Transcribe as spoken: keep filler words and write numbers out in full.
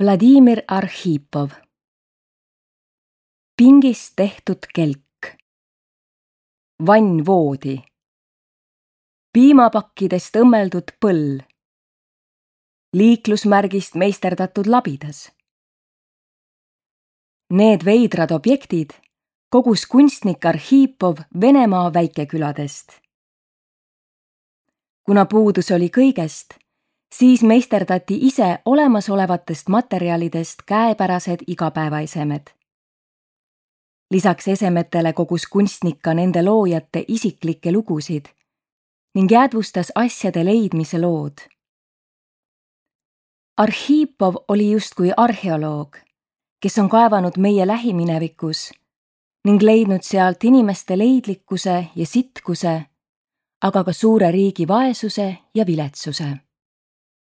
Vladimir Arhipov. Pingist tehtud kelk. Vannvoodi. Piimapakkidest õmmeldud põll. Liiklusmärgist meisterdatud labidas. Need veidrad objektid kogus kunstnik Arhipov Venemaa väikeküladest. Kuna puudus oli kõigest, siis meisterdati ise olemasolevatest materjalidest käepärased igapäevaesemed. Lisaks esemetele kogus kunstnik ka nende loojate isiklikke lugusid ning jäädvustas asjade leidmise lood. Arhipov oli justkui arheoloog, kes on kaevanud meie lähiminevikus ning leidnud sealt inimeste leidlikkuse ja sitkuse, aga ka suure riigi vaesuse ja viletsuse.